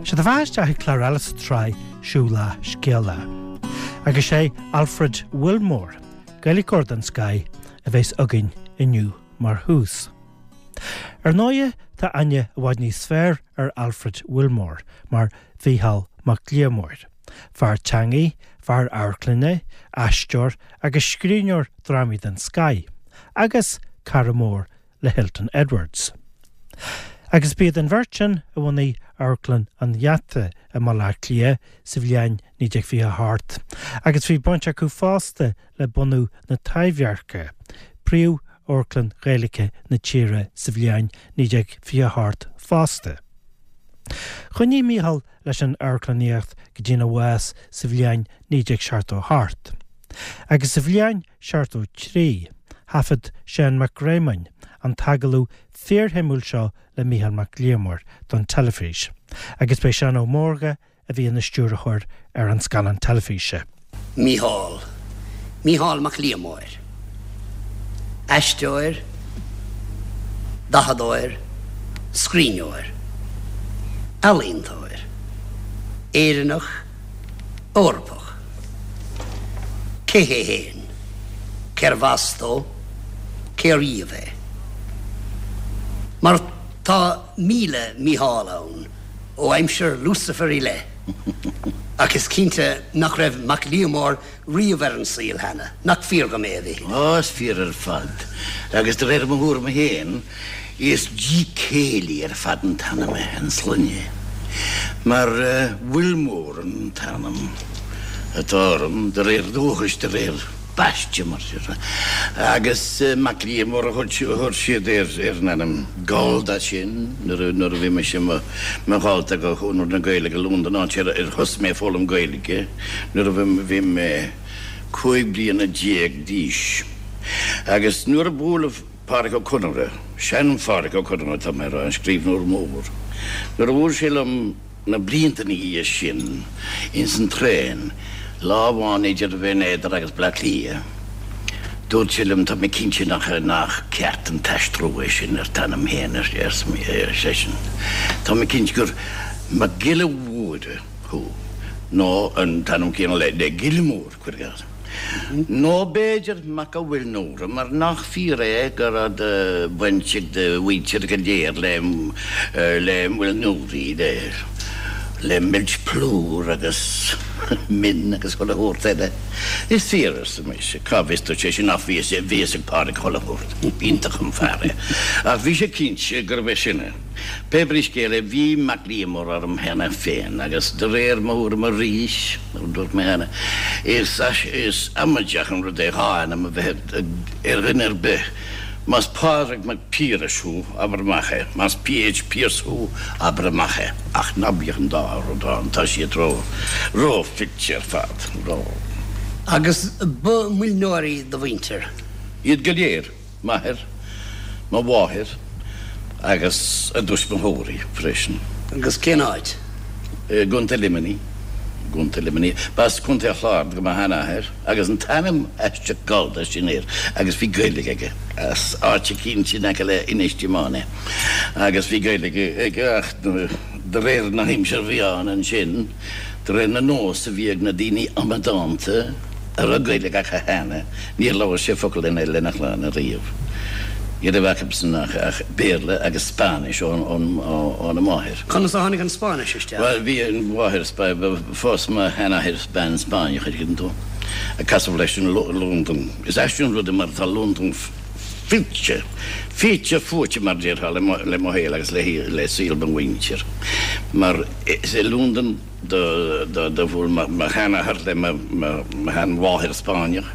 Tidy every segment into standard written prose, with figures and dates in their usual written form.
Sé do bheatha isteach ag clár eile sa tsraith Seú Lá Scéala. Agus sé Alfred Wilmore, Gaeilgeoir den scoth, a bheas againn inniu mar thús. Ar ndóighe, tá aithne i bhfad níos fearr ar Alfred Wilmore mar Mhícheál Mac Liammóir, fear teangaí, fear amharclainne, aisteoir agus scríbhneoir drámaí den scoth, agus cara mór le Hilton Edwards. Agus b'iad an bheirt sin a bhunaigh Amharclann an Gheata i mBaile Átha Cliath sa bhliain 1928, agus bhí baint acu fosta le bunú na Taibhdheirce, príomh-amharclann Ghaeilge na tíre sa bhliain 1928 fosta. Choinnigh Mícheál leis an amharclannaíocht go dtína bhás sa bhliain 1978. Agus sa bhliain 73, thaifead Seán Mac Réamoinn an t-agallamh fíorshuimiúil seo le Mícheál Mac Liammóir don teilifís, agus b'é Seán Ó Mórdha a bhí ina stiúrthóir ar an scannán teilifíse. Mícheál, Mícheál Mac Liammóir, aisteoir, dathadóir, scríbhneoir, ealaíontóir, Éireannach, Eorpach. Cé hé fhéin? Cérbh as dó? Cé riamh é? Mar tá 1000 Mícheál ann ó aimsir Lucifer i leith. Ach is cinnte nach raibh Mac Liammóir riamh ar an saol cheana, nach fíor dhom é, a Mhichíl? Ó, is fíor ar fad. Agus de réir mo thuairime féin, is dícéillí ar fad an t-ainm é, an sloinne. Mar Wilmore an t-ainm atá orm, de réir dúchais, de réir baiste, mar sin. Agus Mac Liammóir a chuir siad ar an ainm Gallda sin nuair a bhí mise i mo dhalta ag Conradh na Gaeilge i Londain, áit ar thosaigh mé ag foghlaim Gaeilge nuair a bhí mé 15 bliana d'aois. Agus nuair a buaileadh Pádraic Ó Conaire, sean-Phádraic Ó Conaire atá mé a rá, an scríbhneoir mór, nuair a bhuail sé liom na blianta ina dhiaidh sin ins an traein, lá amháin idir Bhinn Éadair agus Bleá Cliath, dúirt sé liom, tá mé cinnte nach nach ceart an t-aistriú é sin ar t'ainm féin, ar seisean. Tá mé cinnte gur Mac Giolla Mhóire thú, nó an t-ainm céanna le Gilmore. Cuir i gcás. Nó b'fhéidir Mac a' Mhuilneora, mar nach fíor é go raibh de bhaint ag do mhuintir go léir le le muilneoirí, le le meilt plúr agus min agus chuile shórt eile. Is fíor, arsa mise. Cá bhfios duit é sin ach bhí a fhios ag Pádraic chuile shórt. B'iontach an fear é. Ach bhí sé cinnte gurbh é sin é. Pé brí scéal é, bhí Mac Liammóir orm cheana féin agus de réir mo thuairime arís, mar a dúirt mé cheana, is is amaideach an rud é dhá ainm a bheith ar dhuine ar bith. Más Pádraig Mac Piarais thú, abair amach é. Más P.H. Pearse thú, abair amach é. Ach ná bíodh an dá rud ann, tá siad ró, ró-fhite ar fad, ró. Agus ba muilneoirí do mhuintir? Iad go léir. M'athair, mo mháthair agus a dtuismitheoirí freisin. Agus cén áit? I gContae Luimnigh. I gContae Luimnigh. B'as Contae an Chláir do mo sheanathair agus an t-ainm aisteach Gallda sin air agus bhí Gaeilge aige. As áit eicínt in aice le Inis Díomáin é. Agus bhí Gaeilge aige ach de réir na haimsire a bhí ann ansin, de réir na nós a bhí ag na daoine amadánta a raibh Gaeilge acu cheana, Níor labhair sé focal eile lena chlann ariamh. Ní raibh acusan ach Béarla agus Spáinnis óna máthair. Conas a tháinig an Spáinnis isteach? Bhuel, bhí an mháthair Phós mo sheanathair bean Spáinneach, an dtuigeann tú. Casadh leis in Londain. Is aisteach an rud é mar tá Londain fite, fite fuaite mar déarfá le mo shaol agus le saol mo mhuintir. Mar is i Londain. Do bhuail mo sheanathair le mo sheanmháthair Spáinneach.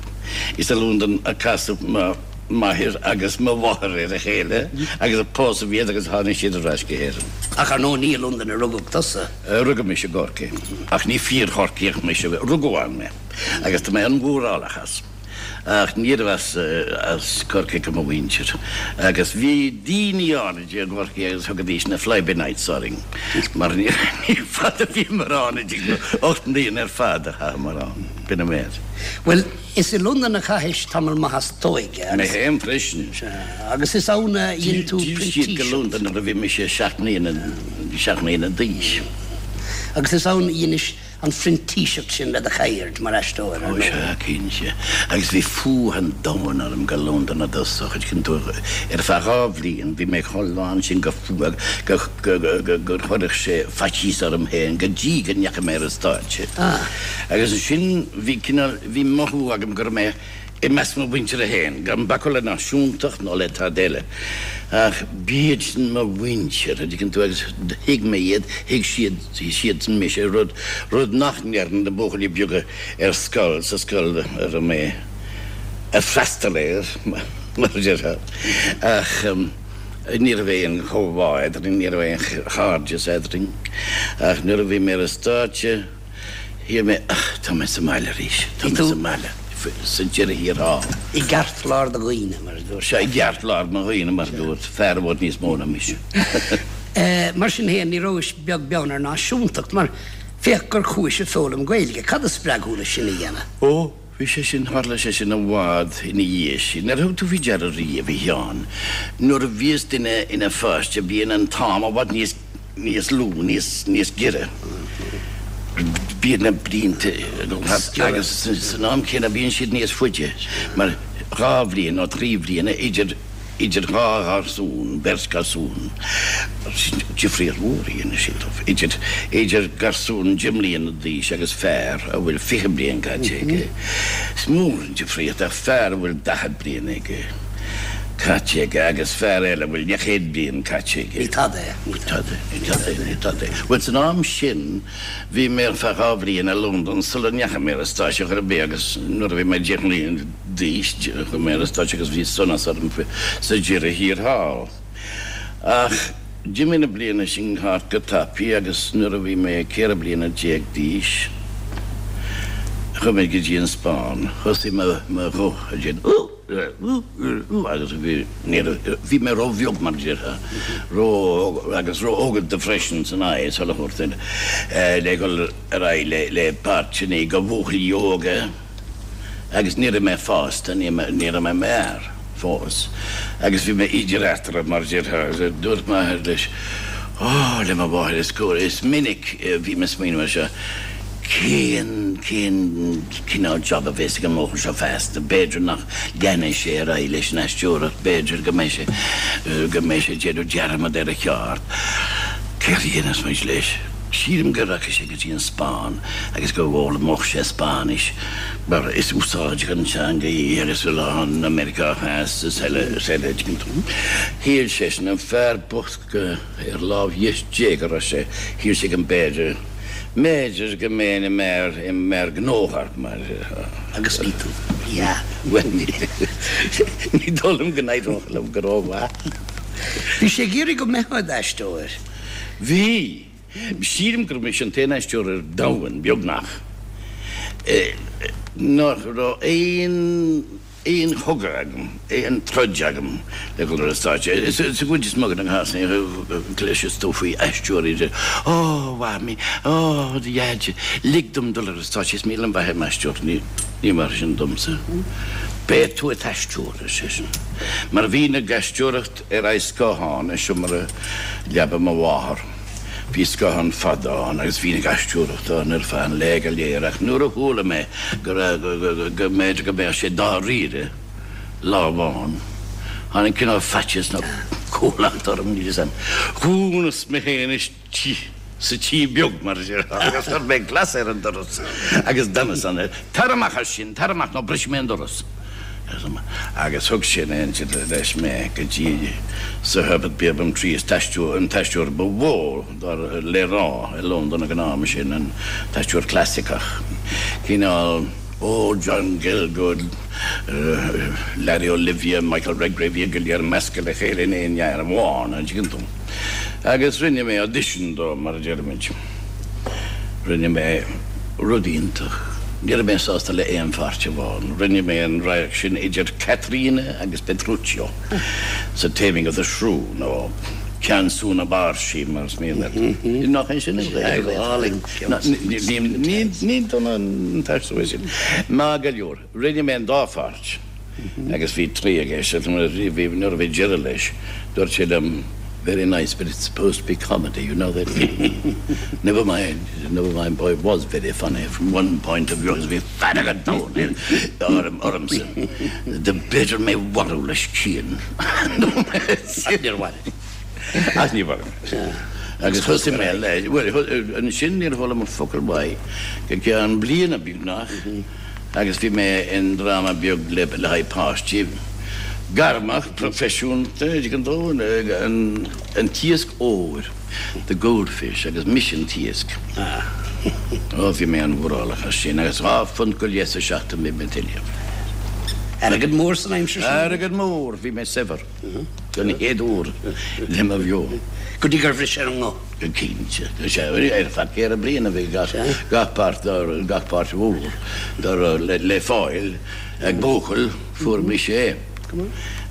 Is i Londain a casadh mo mháthair agus mo mháthair ar a chéile agus a pósadh iad agus tháinig siad ar ais go hÉirinn. Ach ar ndóigh ní i Londain a rugadh tusa. Rugadh mise i gCorcaigh ach ní fíor-Chorcaíoch mise. Rugadh ann mé agus tá mé an-mhórálach as. Ach níorbh as as Corcaigh do mo mhuintir. Agus bhí daoine áirid i gCorcaigh agus thugaidís na fly-by-nights orainn mar ní fada a bhíomar ann, an dtuigeann tú, 8 mbliana ar fad a chaitheamar ann, b'in an méid. Bhuel, is i Londain a chaithis tamall maith as d'óige agus. Mé féin freisin. Sea, agus is ann a dhein tú D'fhill siad go printíseacht. Londain nuair a bhí mise 7 mbliana, 7 mbliana d'aois. Agus is ann a dheinis an phrintíseacht sin le do cheird mar aisteoir, ar Ó ndóigh. sea, cinnte. Agus bhí fuath an domhain orm go Londain i dtosach, an dtuigeann tú, ar feadh 2 bhliain bhí mé chomh lán sin de fuath go, go, go, gur chuirfeadh sé faitíos orm féin go dtí go ndeachaigh mé ar an stáitse. Agus ansin bhí cineál, bhí mothú agam go raibh mé i measc mo mhuintire féin, gan bacadh le náisiúntacht nó le tada eile, ach b'iad sin mo mhuintir, an dtuigeann tú, agus thuig mé iad, thuig siad, siadsan mise, rud, rud nach ndearna na buachaillí beaga ar scoil, sa scoil a raibh mé ag freastal air, mar a déarfá. Ach ní raibh aon chomhbhá eadrainn, ní raibh aon chairdeas eadrainn, ach nuair a bhí mé ar an stáitse, Shíl mé, ach tá mé sa mbaile arís, tá mé sa mbaile, sa deireadh thiar thall. I gceartlár do dhaoine, mar a dúirt. Sea, i gceartlár mo dhaoine, mar a dúirt fear i bhfad níos mó ná mise. Mar sin féin, ní rabhais beag beann ar náisiúntacht, mar féach gur chuais ag foghlaim Gaeilge. Cad a spreag thú le sin a dhéanamh? Ó, bhí sé sin, tharla sé sin i bhfad ina dhiaidh sin. Ar thug tú faoi deara riamh, a Sheáin, nuair a bhíos duine ina pháiste bíonn an t-am i bhfad níos níos lú, níos, níos giorra. Bíonn na blianta ag dul thart agus san am céanna bíonn siad níos faide mar 2 bhliain nó 3 bhliana idir, idir dhá gharsún, beirt garsún, difríocht mhór a dhéanann siad dóibh, idir, idir garsún 10 mbliana d'aois agus fear a bhfuil 20 bliain caite aige. Is mór an difríocht ach fear a bhfuil 40 bliain aige. caite aige agus fear eile a bhfuil leathchéad bliain caite aige. Ní tada é. Ní tada, ní tada é, ní tada é. Bhuel, san am sin, bhí mé ar feadh 2 bhliain i Londain sula ndeachaigh mé ar an stáitse chor ar bith agus nuair a bhí mé 10 mbliana d'aois, chuaigh mé ar an stáitse agus bhí sonas orm sa deireadh thiar thall. Ach d'imigh na blianta sin thart go tapaidh agus nuair a bhí mé 14 bliana d'aois, chuaigh mé go dtí an Spáinn. Thosaigh mo ghuth ag déanamh ú! Agus bhí, ní raibh, bhí mé ró-bheag mar a déarfá, ró, agus ró-óganta freisin san aghaidh, sula thabhairt le dhul ar aghaidh le, le páirteanna do bhuachaillí óga agus ní raibh mé fásta, ní, ní raibh mé i m'fhear fós agus bhí mé idir eatarthu mar a déarfá agus dúirt m'athair leis, Ó, le mo mháthair is cóir, is minic a bhí mé ag smaoineamh air seo, Cén, cén cineál job a bheas ag an mbuachaill seo feasta? B'fhéidir nach leanfaidh sé ar aghaidh leis an aisteoireacht, b'fhéidir go mbeidh sé, go mbeidh sé ag déanamh dearmad ar a cheard. Céard a dhéanfas muid leis? Sílim go rachaidh sé go dtí an Spáinn agus go bhfoghlaimeodh sé Spáinnis mar is úsáideach an teanga í agus a lán i Meiriceá Theas is eile is eile. Shíl seisean, an fear bocht, go ar lámh dheis Dé go raibh sé, shíl sé go mb'fhéidir, mb'fhéidir go mbeinn i m'fhear, i m'fhear gnóthach mar. Agus bhí tú. Yeah. Bhuel, ní, ní dóigh liom go n-éireodh liom go rómhaith. Bhí sé ag iarraidh go mbeifeá i d'aisteoir. Bhí. Sílim gur mise an t-aon aisteoir ar domhan, beagnach, nach raibh aon, aon chogadh agam, aon troid agam le dhul ar an stáitse. Sa gcuid is mó de na cásanna, cloiseas tú faoi aisteoirí a deir, Ó, a Mhamaí, ó, a Dhaid, lig dom dul ar an stáitse, is mian liom bheith i m'aisteoir. Ní, ní mar sin domsa. Beidh tú i d'aisteoir, ar seisean. Mar bhínn ag aisteoireacht ar aghaidh scáthán i seomra leaba mo mháthar. Bhí scáthán fada ann agus bhínn ag aisteoireacht ann ar feadh an lae go léir ach nuair a chuala mé go raibh, go mb'fhéidir go mbeadh sé dáiríre lá amháin, tháinig cineál faitíos nó cumhlacht orm, níl 'fhios a'm. Dhúnas mé féin istigh sa tigh beag, mar a déarfá, agus chuir mé glas ar an doras agus d'fhanas ann. Tar amach as sin, tar amach nó brisfidh mé an doras! Agus thug sé in éindí leis mé go dtí Sir Herbert Beerbohm Tree, an t-aisteoir ba mhó le rá i Londain ag an am sin, an t-aisteoir clasaiceach, cineál ó John Gielgud, Larry Olivier, Michael Redgrave, iad go léir measctha le chéile in aon fhear amháin, an dtuigeann tú. Agus rinne mé audition dó, mar a deirimid. Rinne mé rud iontach. Ní raibh mé sásta le aon pháirt amháin. Rinne mé an radharc sin idir Caterina agus Petruchio sa Taming of the Shrew, nó Ceansú na Báirsí, mar is mian leat. Nach é sin an Ghaeilge? Ní dona an t-aistriú é sin. Maith go leor, rinne mé an dá pháirt agus bhí triath ag éisteacht. Nuair a bhí deireadh leis, dúirt sé liom. Very nice, but it's supposed to be comedy, you know that. Never mind, never mind, boy, it was very funny from one point of view, agus bhí fearg an domhain orm, ormsa. B'fhéidir mé a mharú leis scian. Ach níor mharaigh. Ach níor mharaigh mé. Agus thosaigh mé le, bhuel, ansin níor chuala mé focal uaidh go ceann bliana beagnach. Agus bhí mé i ndráma beag le haghaidh páistí, gairmeach, proifisiúnta, an dtuigeann tú, an t-iasc óir, The Goldfish, agus mise an t-iasc. Ó, bhí mé an-mhórálach as sin, agus £2 go leith sa seachtain bhí mé ag tuilleamh. Airgead mór san aimsir sin. Airgead mór, bhí mé saibhir don chéad uair le mo bheo. Go dtí gur bhris ar an nguth. Go cinnte. Sea, ar feadh ceithre bliana bhí gach páirt, gach páirt mhór dá raibh le fáil ag buachaill, fuair mise é.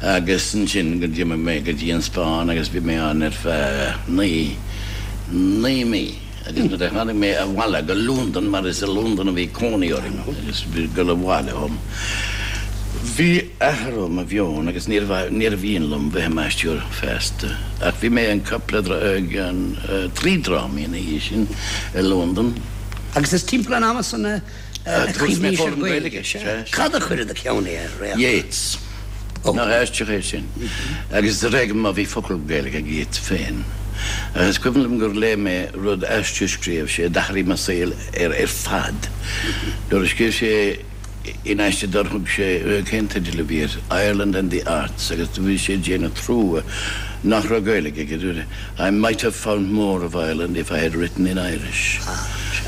Agus ansin go d'imigh mé go dtí an Spáinn agus bhí mé ann ar feadh naoi, naoi mí. Agus nuair a tháinig mé abhaile go Londain, mar is i Londain a bhí cónaí orm agus bhí dul abhaile dhom, bhí athrú i mo mheon agus níorbh mhian liom bheith i m'aisteoir feasta. Ach bhí mé in cúpla, trí drámaí ina dhiaidh sin i Londain. Agus is timpeall an ama san a chuimhníos ar Ghaeilge. Cad a chuir i do cheann é a Réaltán? Yeats. Nach aisteach é sin? Agus ar éigean má bhí focal Gaeilge ag Yeats féin. Ach is cuimhin liom gur léigh mé rud aiste a scríobh sé a d'athraigh mo saol ar ar fad. Nuair a scríobh sé in aiste dár thug sé, cén teideal a bhí air, Ireland and the Arts agus do bhí sé ag déanamh trua nach raibh Gaeilge aige. I might have found more of Ireland if I had written in Irish,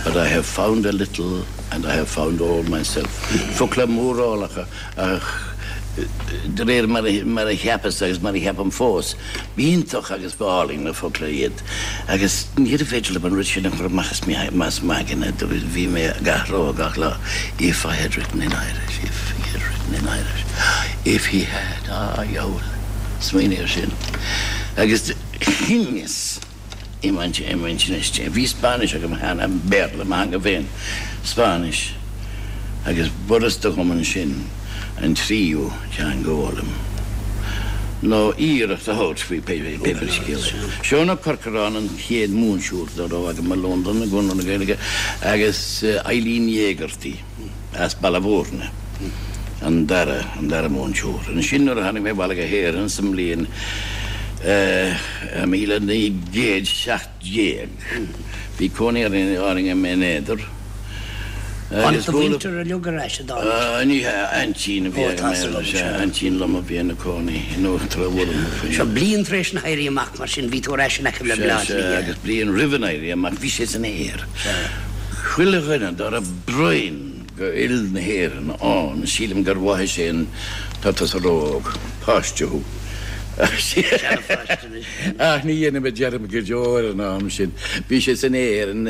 but I have found a little and I have found all myself. Focla mórálacha ach de réir mar a cheapas agus mar a cheapaim fós, b'iontach agus b'álainn na focla iad agus níorbh fhéidir liom an rud sin a chur amach as m'aigne, bhí mé ag athrá gach lá, if I had written in Irish, if he had written in Irish, if he had, ah, dheabhail, smaoinigh air sin. Agus chinneas i m'intinn istigh, bhí Spáinnis agam cheana, Béarla, mo theanga féin, Spáinnis, agus b'fhurasta dhom ansin an tríú teanga a fhoghlaim, nó iarracht a thabhairt faoi pé scéal é. Seán Ó Corcoráin an chéad mhúinteoir dá raibh agam i Londain i gConradh na Gaeilge agus Eileen Hegarty. as Baile Mhúirne, an dara, an dara múinteoir. Ansin nuair a tháinig mé abhaile go hÉirinn sa mbliain 1917, bhí cónaí orainn i mBinn Éadair. Tháinig do mhuintir uilig ar ais, an dtáinig? Ní hea, aintín a bhí agam, sea, aintín liom a bhí ina cónaí in Uachtar an Mhúrn. Seo bliain tar éis an Éirí Amach, mar sin, bhí tú ar ais in aice le Baile Átha Cliath. Sea, agus bliain roimh an Éirí Amach, bhí sé san aer. Chuile dhuine dá raibh broinn go fhuil na hÉireann ann, sílim gur mhothaigh sé an tá tusa ró-óg, páiste thú. Seanpháiste anois. Ach ní dhéanfaidh mé dearmad go deo ar an am sin. Bhí sé san aer, an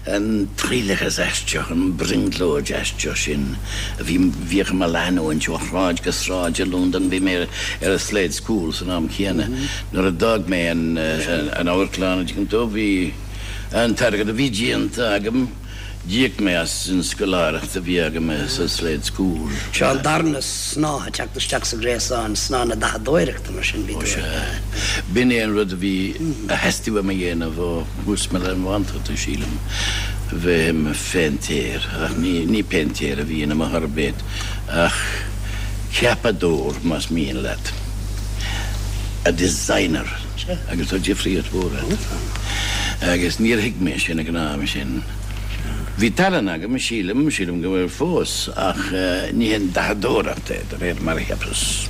an triaileachas aisteach, an brionglóid aisteach sin a bhí bhíodh i mo leanúint ó shráid go sráid i Londain. Bhí mé ar an Slade School san am céanna. Nuair a d'fhág mé an an amharclann, an dtuigeann tú, bhí An t-airgead a bhí déanta agam, d'íoc mé as an scoláireacht a bhí agam sa Slade School. Seo an darna snáth ag teacht isteach sa ghréasán, snáth na dathadóireachta, mar sin, bhí Ó tú sea. ar. B'in é an rud a bhí, a theastaigh uaim a dhéanamh ó thús mo leanbhántacht, sílim, bheith i mo phéintéir. Ach ní, ní péintéir a bhí ionam ar chor ar bith, ach ceapadóir, más mian leat. A designer. Agus tá difríocht mhór eatarthu. Agus níor thuig mé sin ag an am sin. Bhí tallann agam, sílim, sílim go bhfuil fós, ach ní haon dathadóireacht é, de réir mar a cheapas.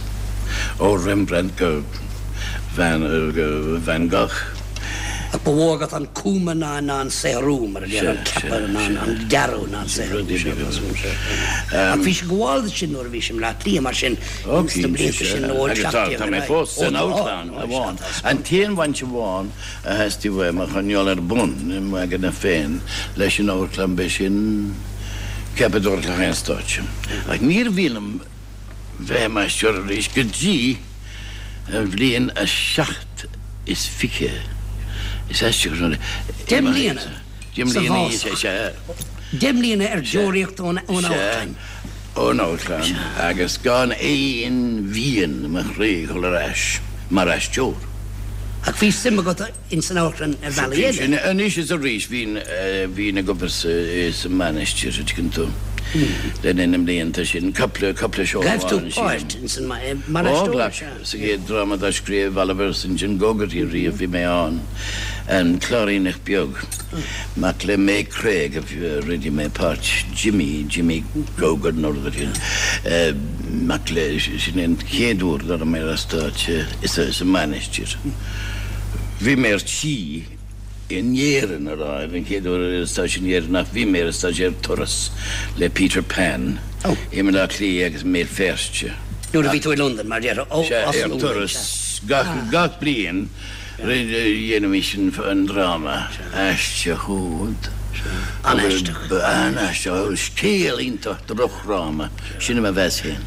Ó Rembrandt go Van, go Van Gogh. Ach ba mhó agat an cuma ná ná an saothrú, mar a déarfá, an ceapadh ná an dearadh ná an saothrú. Ach bhís ag gabháil duit sin nuair a bhís i mBleá Cliath, mar sin, ins na blianta sin ó Agus tá, 17 tá ar mé aghaidh. fós Ó san tá, amharclann ó sea, amháin. tá An t-aon bhaint amháin a theastaigh uaim a choinneáil ar bun i m'aigne féin leis an amharclann b'é sin ceapadóireacht le haghaidh an stáitse. Ach níor mhian liom bheith i m'aisteoir arís go dtí an bhliain a seacht is fiche. Is aisteach an rud é. Deich mbliana Deich sa mbliana, bhfásach. sea. Deich mbliana ar deoraíocht ón amharclann. Ón amharclann agus gan aon mhian i mo chroí dhul ar ais mar aisteoir. Ach bhí suim agat ins an amharclann ar bhealaí eile. Anois is arís bhínn, bhínn ag obair sa, sa Mainistir, an dtuigeann tú, le linn na mblianta sin, cúpla, cúpla seó Ghlac tú amháin, sílim. páirt ins an, mar Ó, aisteoir, ghlac. sea. Sa gcéad dráma dá scríobh Oliver St. John Gogarty riamh bhí mé ann, An Cláiríneach Beag. Mac le May Craig a rinne mé páirt Jimmy, Jimmy Grogan nó rud éigin. Mac le, sin é an chéad uair dá raibh mé ar stáitse sa Mainistir. Bhí mé ar tí in Éirinn a rá, ar an chéad uair ar stáitse in Éirinn ach bhí mé ar stáitse ar turas le Peter Pan i mBaile Átha Cliath agus i mBéal Feirste. Nuair a bhí tú i Londain, mar déarfá, ó, as Londain, sea. Ar turas gach bliain. Dhéanaimis an dráma aisteach úd. An-aisteach. An-aisteach. Scéal iontach drochdhráma. Sin é mo mheas féin.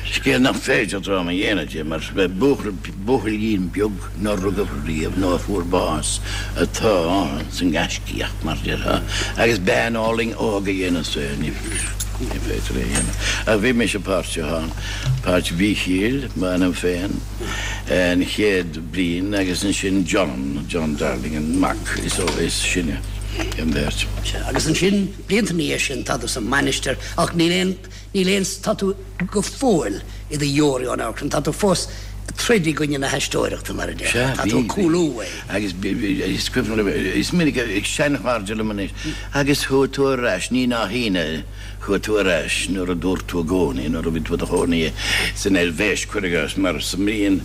Scéal nach féidir dráma a dhéanamh de mar buachaill, buachaillín beag nár rugadh riamh nó a fuair bás atá ann san gaiscíoch mar déarfá agus bean álainn óg a dhéanas é. Ní féidir é a dhéanamh. Ach bhí mise páirteach ann. Páirt Mhíchíl, m'ainm féin. an chéad bhliain agus ansin John, John Darling, an mac is is sine den bheirt. Sea, agus ansin, blianta ina dhiaidh sin, tá tú sa Mainistir ach níl aon, níl aon, tá tú go fóill i do dheoraí ón amharclann, tá tú fós ag troid i gcoinne na haisteoireachta, mar a déarfá, Sea, tá tú bhí, ag bhí. cúlú uaidh. Agus is cuimhin liom, is minic ag seanchairde liom anois, agus chuaigh tú ar ais, ní nach ionadh, Chuaigh tú ar ais nuair a dúirt tú i gcónaí nuair a bhí tú i do chónaí san Eilvéis, cuir i gcás, mar sa mbliain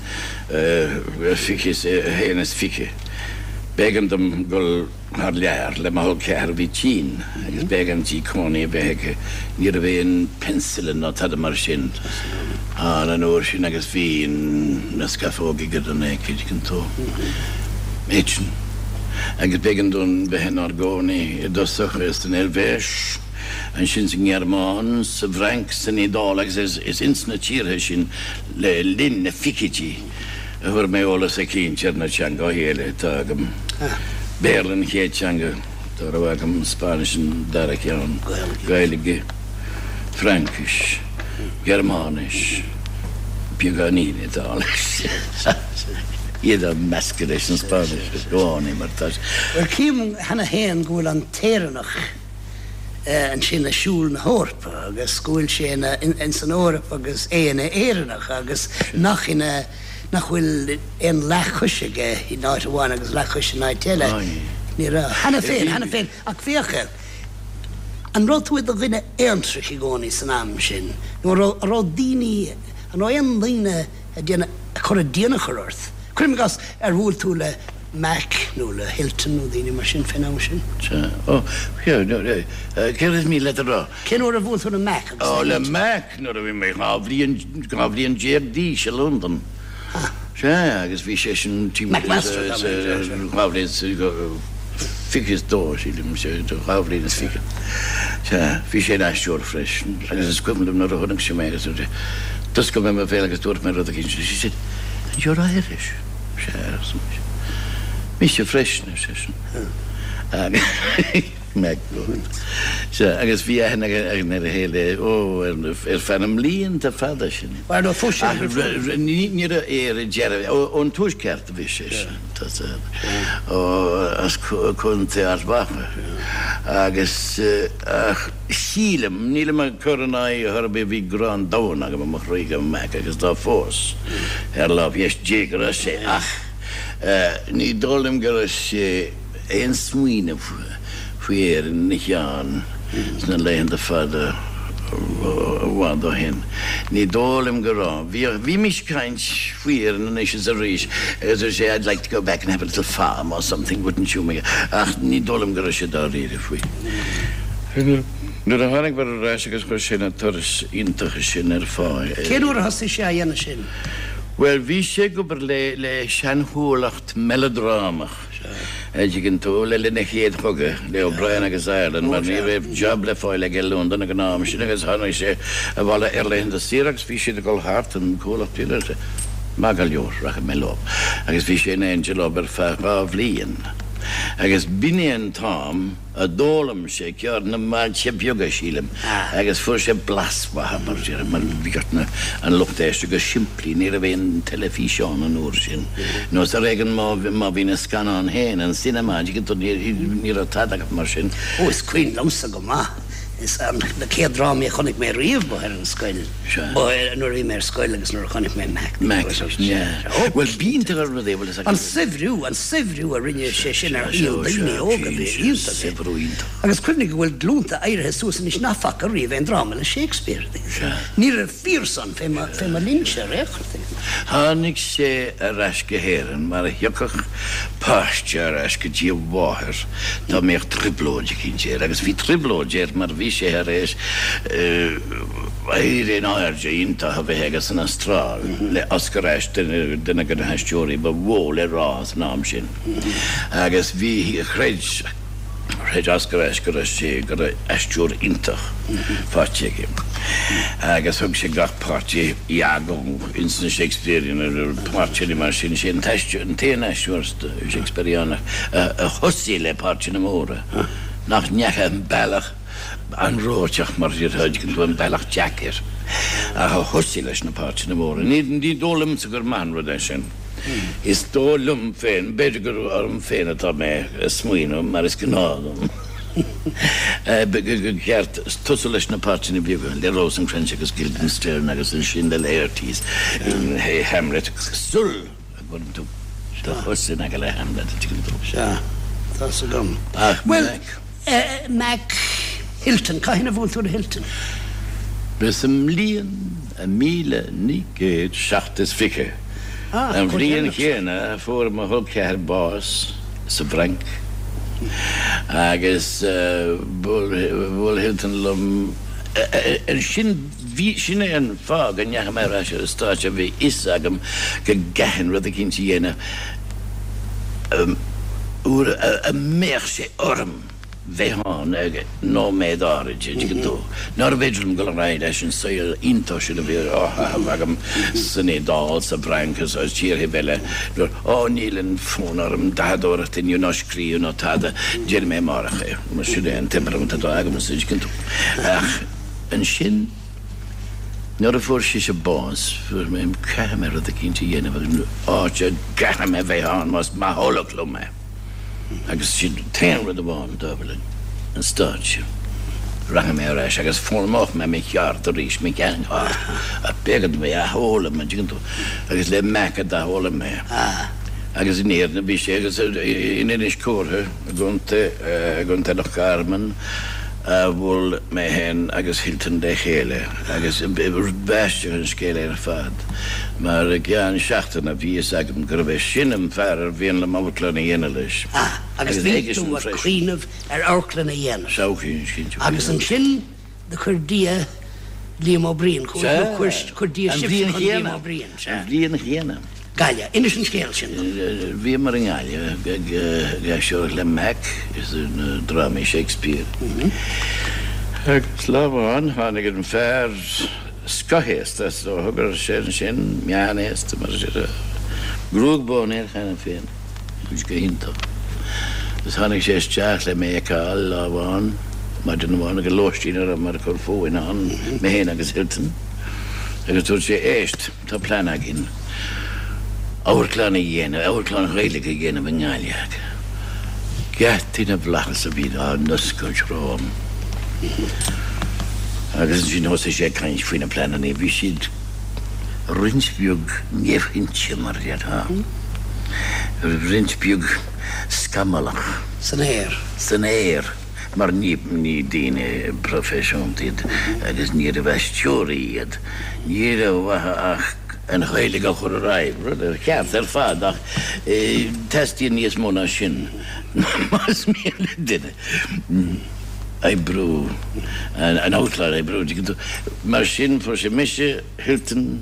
2021 b'éigean dom dul thar lear le mo chol ceathar a bhí tinn agus b'éigean di cónaí a bheith aici. Ní raibh aon penicillin ná tada mar sin ann an uair sin agus bhí na scamhóga ag an tuigeann tú. Eitinn. Agus b'éigean dúinn bheith inár gcónaí i dtosach san Eilvéis. ansin sa nGearmáin, sa bhFrainc, san Iodáil agus is ins na tíortha sin le linn na fichidí a fuair mé eolas eicínt ar na teangachaí eile atá agam. Béarla an chéad teanga dá raibh agam, Spáinnis an dara ceann, Gaeilge, Fraincis, Gearmáinis, beagáinín Iodáilis. Iad á meascadh leis an Spáinnis i gcónaí mar tá sé. Bhuel, cím cheana féin go bhfuil an tÉireannach ansin ag siúl na hEorpa agus go bhfuil sé ina, ins an Eoraip agus é ina Éireannach agus nach ina, nach bhfuil aon leathchois aige in áit amháin agus leathchois in áit eile. Ní raibh. Cheana féin, cheana féin. Ach féach, an raibh tú i do dhuine aontrach i gcónaí san am sin nó an raibh, an raibh daoine, an raibh aon daoine ag déanamh, ag cur a dtionchar ort? Cuirim i gcás, ar bhuail tú le. Mac nó le Hilton nó daoine mar sin fén am sin. Sea. Ó, céard is mian leat a rá? Cén uair a bhuail tú le Mac agus le Hilton? Ó, le Mac nuair a bhí mé 12 bhliain, 12 bhliain d'aois i Londain. Ah. Sea, agus bhí seisean timpeall Mac Master, tá mé ag rá. 2 bhliain is 22, sílim, sea, 2 bhliain is fiche. Sea, bhí sé ina aisteoir freisin agus is cuimhin liom nuair a chonaic sé mé agus d'oscail mé mo bhéal agus dúirt mé rud eicínt, he said, and you're Irish. Sea, arsa mise. Mise freisin, ar seisean. Mac Sea, agus bhí aithne againn ar a chéile, ó, ar feadh na mblianta fada sin. Bhuel, nó phós sé Ach ní raibh Éire dearbh, ón Tuaisceart a bhí seisean, tá ó, as Contae Ard Mhacha. Agus, ach sílim, nílim ag cur in aghaidh ar chor ar bith, bhí grá an domhain agam i mo chroí do Mac agus tá fós, ar lámh dheis Dé go raibh sé ach ní dóigh liom go raibh sé aon smaoineamh faoi Éirinn ina cheann sna laethanta fada i bhfad ó shin. Ní dóigh liom go raibh. Bhíodh, bhímis ag caint faoi Éirinn anois is arís agus dúirt sé I'd like to go back and have a little farm or something, wouldn't you? Ach ní dóigh liom go raibh sé dáiríre faoi. Nuair a tháinig mar ar ais agus chuir sé na turais iontacha sin ar fáil. Cén uair a thosaigh sé á dhéanamh sin? Bhuel, bhí sé ag obair le le seanchomhlacht meileadrámach, a' dtuigeann tú, le linn an Chéad Chogaidh, le O'Brien agus Ireland, mar ní raibh job le fáil aige i Londain ag an am sin agus tháinig sé abhaile ar laethanta saoire agus bhí siad ag dul thart, an comhlacht, maith go leor, rachaidh mé leo. Agus bhí sé in éindí leo ar feadh dhá bhliain. Agus b'in é an t-am a d'fhoghlaim sé ceird na mbailte beaga, sílim, agus fuair sé blas mhaith, mar a déarfá, mar bhíodh na, an lucht éisteachta go simplí, ní raibh aon teilifíseán an uair sin, nó is ar éigean má, má bhí na scannáin féin, an cinema, an dtuigeann tú, ní, ní raibh tada acu mar sin. Ó, is cuimhin liomsa go maith. Is na chéad drámaí a chonaic mé riamh ba ar an scoil, ba nuair a bhí mé ar scoil agus nuair a chonaic mé Mac. Mac, yeah. Bhuel, b'iontach an rud é, bhfuil fhios agat. An saibhriú, an saibhriú a rinne sé sin ar shaol daoine óga, bhí iontach é. Saibhriú iontach. Agus cuimhnigh go bhfuil glúnta éirithe suas anois nach bhfaca riamh aon dráma le Shakespeare. Ní raibh fíor san fé mo, fé mo linnse ar aon chor. Tháinig sé ar ais go hÉirinn mar a thiocfadh páiste ar ais go dtí a mháthair dá mbeadh trioblóid eicínt air, agus bhí trioblóid air mar bhí sé thar éis éirí in airde iontach a bheith aige san Astráil le Oscar Ashe, duine de na haisteoirí ba mhó le rá san am sin, agus bhí, chreid. Chreid Oscar Ashe go raibh sé, go raibh aisteoir iontach faighte aige agus thug sé gach páirt Iago ins na Shakespearean, páirteanna mar sin. Sé an t-aisteoir, an t-aon aisteoir Shakespeareánach a thosaigh le páirteanna móra, nach ndeachaigh an bealach anróiteach mar a déarfá, tuigeann tú, an bealach deacair, ach a thosaigh leis na páirteanna móra. Ní dóigh liomsa gur maith an rud é sin. Is dóigh liom féin, b'fhéidir gur orm féin atá mé ag smaoineamh, mar is gnáth dom, gur cheart tosú leis na páirteanna beaga, le Rosencrantz agus Guildenstern agus ansin le Laertes in Hamlet, sul a gcuireann tú do chos in aice le Hamlet, an dtuigeann tú? Sea, tá's agam. Ach Bhuel, Mac Hilton, cathain a bhuail tú le Hilton? Ba sa mbliain 1927, an bhliain chéanna a fuair mo chol ceathar bás sa bhFrainc, agus bhuail Hilton liom ansin. Bhí, sin é an fáth go ndeachaigh mé ar ais ar an stáitse, bhí a fhios agam go gcaithfinn rud eicínt a dhéanamh uair a mbeadh sé orm bheith ann ag nóiméad áirid, an dtuigeann tú. Nárbh fhéidir liom dul ar aghaidh leis an saol iontach sin a bhí á chaitheamh agam san Iodáil, sa bhFrainc agus i dtíortha eile. Ó, níl an fonn orm dathadóireacht inniu ná scríobh ná tada, déanfaidh mé amárach é. Mar sin é an temperament atá agamsa, an dtuigeann tú. Ach ansin, nuair a fuair sise bás, fuair mé, caithfidh mé rud eicínt a dhéanamh agus áit a gcaithfidh mé bheith ann más maith liom é. Agus sin an t-aon rud amháin atá linn, an stáitse. Rachaidh mé ar ais agus foghlaimeoidh mé mo cheard arís, mo sheancheard. Ach b'éigean dom é a athfhoghlaim, an dtuigeann tú? Agus le Mac a d'athfhoghlaim mé. Agus in Éirinn a bhí sé agus in Inis Córthaidh i gContae, i gContae Loch Garman a bhuail mé féin agus Hilton le chéile. Agus b'aisteach an scéal é ar fad, mar i gceann seachtaine bhí fhios agam gurbh é sin an fear ar mhian liom amharclann a dhéanamh leis. Ah, agus bhí tú ag cuimhneamh ar amharclann a dhéanamh. Sea, cinnte. Agus ansin do chuir Dia Liam Ó Briain chugat, nó chuir Dia sibhse chun Liam Ó Briain, sea. An bhliain chéanna. Gaillimh. Inis an scéal sin dom. Bhíomar i nGaillimh ag aisteoireacht le Mac is na drámaí Shakespeare. Agus lá amháin tháinig an fear scothaosta, is dócha go raibh sé ansin, meánaosta mar sin, gruag bán air cheana féin, bhí sé go hiontach. Agus tháinig sé isteach le mé a fheiceáil lá amháin, maidin amháin, ag an lóistín a rabhamar ag cur fúinn ann, mé féin agus Hilton, agus dúirt sé, Éist! Tá plean againn amharclann a dhéanamh, amharclann Ghaeilge a dhéanamh i nGaillimh. Geataí na bhFlaitheas a bhí á n-oscailt romham. Agus ansin thosaigh sé ag caint faoi na pleananna. Bhí siad roinnt bheag neamhchinnte, mar a déarfá, roinnt beag scamallach. San aer. San aer. Mar ní daoine proifisiúnta iad agus níorbh aisteoirí iad. Ní raibh uathu ach an Ghaeilge a chur ar aghaidh, rud ar cheart ar fad ach teastaíonn níos mó ná sin más mian le duine oibriú, an amharclann a oibriú, tuigeann tú. Mar sin fuair sé mise, Hilton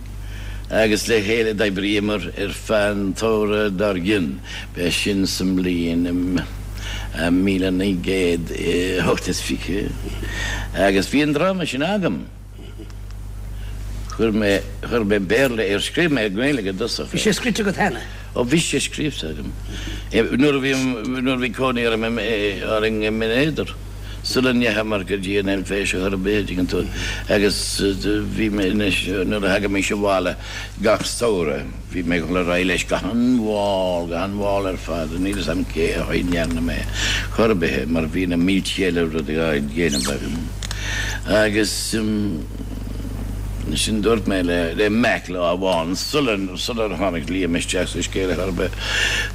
agus le chéile d'oibríomar ar feadh an tsamhraidh dár gcionn. B'é sin sa mbliain 1928 agus bhí an dráma sin agam. Chuir mé, chuir mé Béarla air, scríobh mé i nGaeilge i dtosach é. Bhí sé scrite agat cheana? Ó bhí sé scríobhta agam. Nuair a bhí, nuair a bhí cónaí orm orainn i mBinn Éadair, sula ndeachamar go dtí an Eilvéis ar chor ar bith, a dtuigeann tú, agus bhí mé anois, nuair a thagaimis abhaile gach samhradh, bhí mé ag dul ar aghaidh leis go han-mhall, go han-mhall ar fad, níl fhios a'm cé chaoi a ndearna mé chor ar bith é, mar bhí na mílte eile rudaí á dhéanamh agam. Agus ansin dúirt mé le Mac lá amháin, sular tháinig Liam isteach sa scéal ar chor ar bith,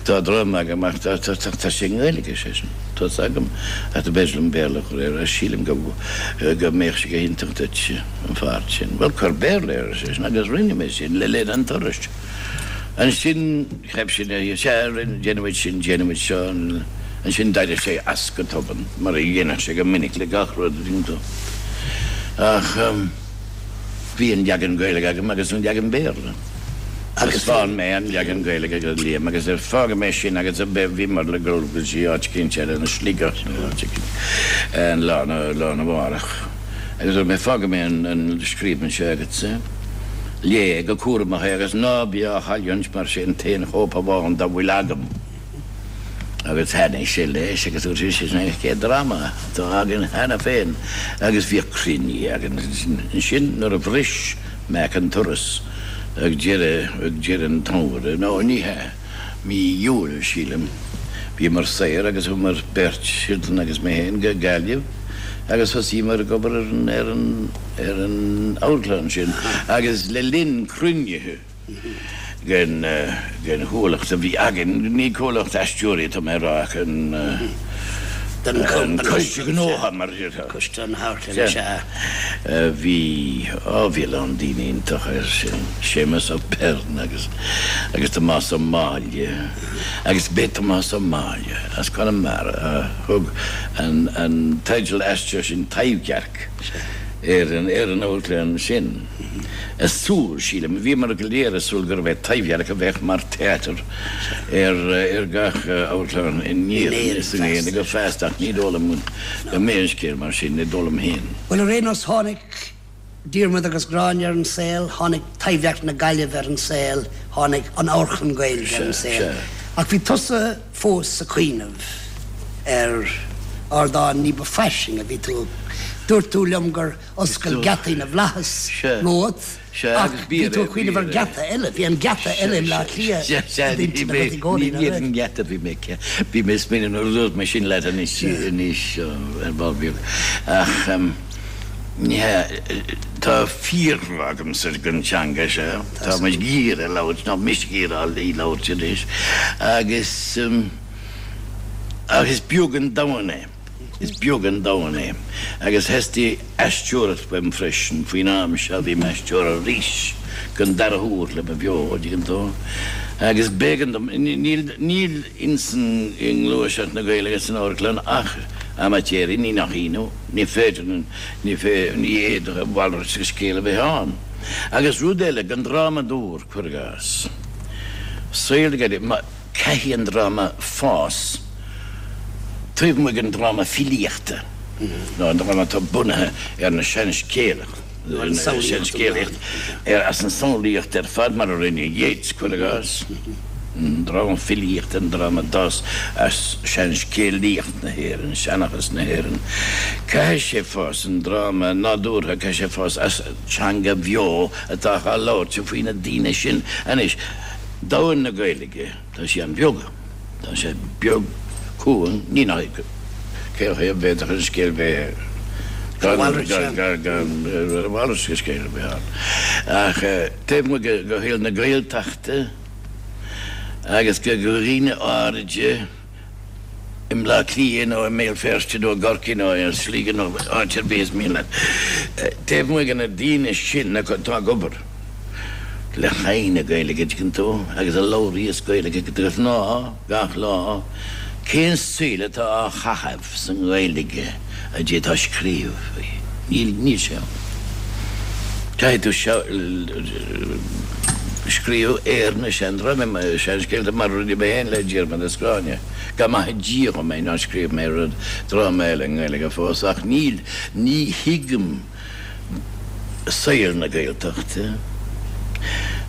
tá dráma agam ach tá sé i nGaeilge, ar seisean, tá 's agam ach do b'fhéidir liom Béarla a chur air, sílim go mbeadh sé go hiontach duit an pháirt sin. Bhuel, cuir Béarla air, ar seisean, agus rinne mé sin le linn an turais. Ansin cheap sé, sea, déanfaimid sin, déanfaimid seo, ansin d'éirigh sé as go tobann, mar a dhéanadh sé go minic le gach rud, an dtuigeann tú. Ach bhí an leagan Gaeilge agam agus an leagan Béarla. Thaispeáin mé an leagan Gaeilge do Liam agus ar fágfaidh mé sin agus bhíomar le dul go dtí áit eicínt eile, nó Sligeach nó áit eicínt, an lá arna mhárach. Agus dúirt mé, fágfaidh mé an scríbhinn seo agatsa, léigh go cúramach é agus ná bí á chailliúint mar sé an t-aon chóip amháin dá bhfuil agam. Agus thaitnigh sé leis agus dúirt sé, sin é an chéad dráma atá againn cheana féin agus bhíodh cruinnithe againn ansin nuair a bhris Mac an turas ag deireadh, ag deireadh an tsamhraidh, nó ní hea, mí Iúil, sílim. Bhíomar saor agus chuamar beirt, Hilton agus mé féin, go Gaillimh agus thosaíomar ag obair ar an, ar an, ar an amharclann sin agus le linn cruinnithe den, den chomhlacht a bhí againn, ní comhlacht aisteoirí atá mé a rá ach an, an coiste gnótha mar a déarfá. Coiste na hamharclainne, sea. Bhí, á bhí a lán daoine iontacha air sin, Séamus Ó Peirn agus, agus Tomás Ó Máille, agus b'é Tomás Ó Máille as Conamara a thug an, an teideal aisteach sin Taibhdhearc ar an, ar an amharclann sin. Ag súil, sílim, bhíomar go léir ag súil gurbh é Taibhdhearc a bheadh mar theater ar, ar gach amharclann in Éirinn is i nGaeilge feasta ach ní dóigh liom go mbeidh an scéal mar sin, ní dóigh liom féin. Bhuel, ar aon nós, tháinig Diarmuid agus Gráinne ar an saol, tháinig Taibhdhearc na Gaillimhe ar an saol, tháinig an Amharclann Gaeilge ar an saol. Ach bhí tusa fós ag cuimhneamh ar ardán ní ba fairsinge. Bhí tú, dúirt tú liom gur oscail geataí na bhflaitheas romhat. Ach bhí tú ag cuimhneamh ar gheata eile, bhí an geata eile i mBleá Cliath i d'intinn agat i gcónaí, nach raibh? Ní an geata a bhí mé, bhí mé ag smaoineamh nuair a dúirt mé sin leat anois, anois ar ball beag. Ach ní hea, tá fíorghrá agamsa don teanga seo, tá muid ag iarraidh labhairt, nó mise ag iarraidh í labhairt anois, agus ach is beag an domhan é. Is beag an domhan é. Agus theastaigh aisteoireacht uaim freisin. Faoin am seo bhí m'aisteoir arís den dara huair le mo bheo, an dtuigeann tú. Agus b'éigean dom, níl, níl insan, i ngluaiseacht na Gaeilge san amharclann ach amaitéirí, ní nach ionadh, ní féidir, ní fé, ní fhéadfadh a mhalairt de scéal a bheith ann. Agus rud eile, don drámadóir, cuir i gcás, saol na Gaeilge, má, Caithfidh an dráma fás taobh amuigh den dráma filíochta, nó an dráma atá bunaithe ar na seanscéalacht, seanscéalaíocht, as an samhlaíocht ar fad, mar a rinne Yeats, cuir i gcás. An dráma filíochta, an dráma a d'fhás as seanscéalaíocht na hÉireann, seanchas na hÉireann. Caithfidh sé fás, an dráma nádúrtha, caithfidh sé fás as teanga bheo atá á labhairt faoi na daoine sin. Anois. Domhan na Gaeilge, tá sé an-bheag. Tá sé beag, cúng, ní nach ionadh. Cén chaoi a bhféadfadh an scéal bheith gan a mhalairt de scéal a bheith ann? Ach taobh amuigh de shaol na Gaeltachta agus de dhaoine áiride, i mBleá Cliath nó i mBéal Feirste nó i gCorcaigh nó i Sligeach nó áit ar bith is mian leat. Taobh amuigh de na daoine sin atá ag obair le haghaidh na Gaeilge, an dtuigeann tú, agus a labhraíos Gaeilge de ghnáth gach lá, cén saol atá á chaitheamh sa nGaeilge a d'fhéadfá scríobh faoi? Níl, níl sé ann. Caithfidh tú scríobh ar na seandrámaí, seanscéalta mar a rinne mé féin le Diarmaid is Gráinne. Go maithe Dia dhom é nár scríobh mé rud, dráma eile i nGaeilge fós, ach níl, ní thuigim saol na Gaeltachta.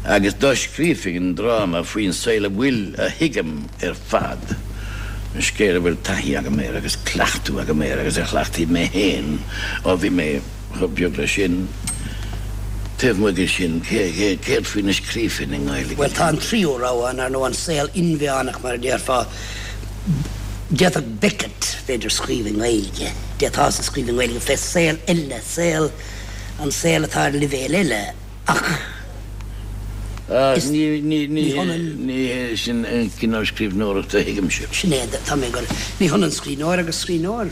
Agus dá scríobhfainn dráma faoin saol a bhfuil, a thuigim ar fad, an scéal a bhfuil taithí agam air agus cleachtadh agam air agus a chleachtaigh mé féin ó bhí mé chomh beag leis sin, taobh amuigh de sin, céard faoina scríobhfainn i nGaeilge? Bhuel, tá an tríú rogha ann, ar ndóigh, an saol inmheánach, mar a déarfá. D'fhéadfadh Beckett, b'fhéidir, scríobh i nGaeilge. D'fhéadfása scríobh i nGaeilge fé saol eile, saol, an saol atá ar leibhéal eile, ach is, ní hionann. Ní hé sin an cineál scríbhneoireachta a thuigimse. Sin é, tá mé ag goil, ní hionann scríbhneoir agus scríbhneoir.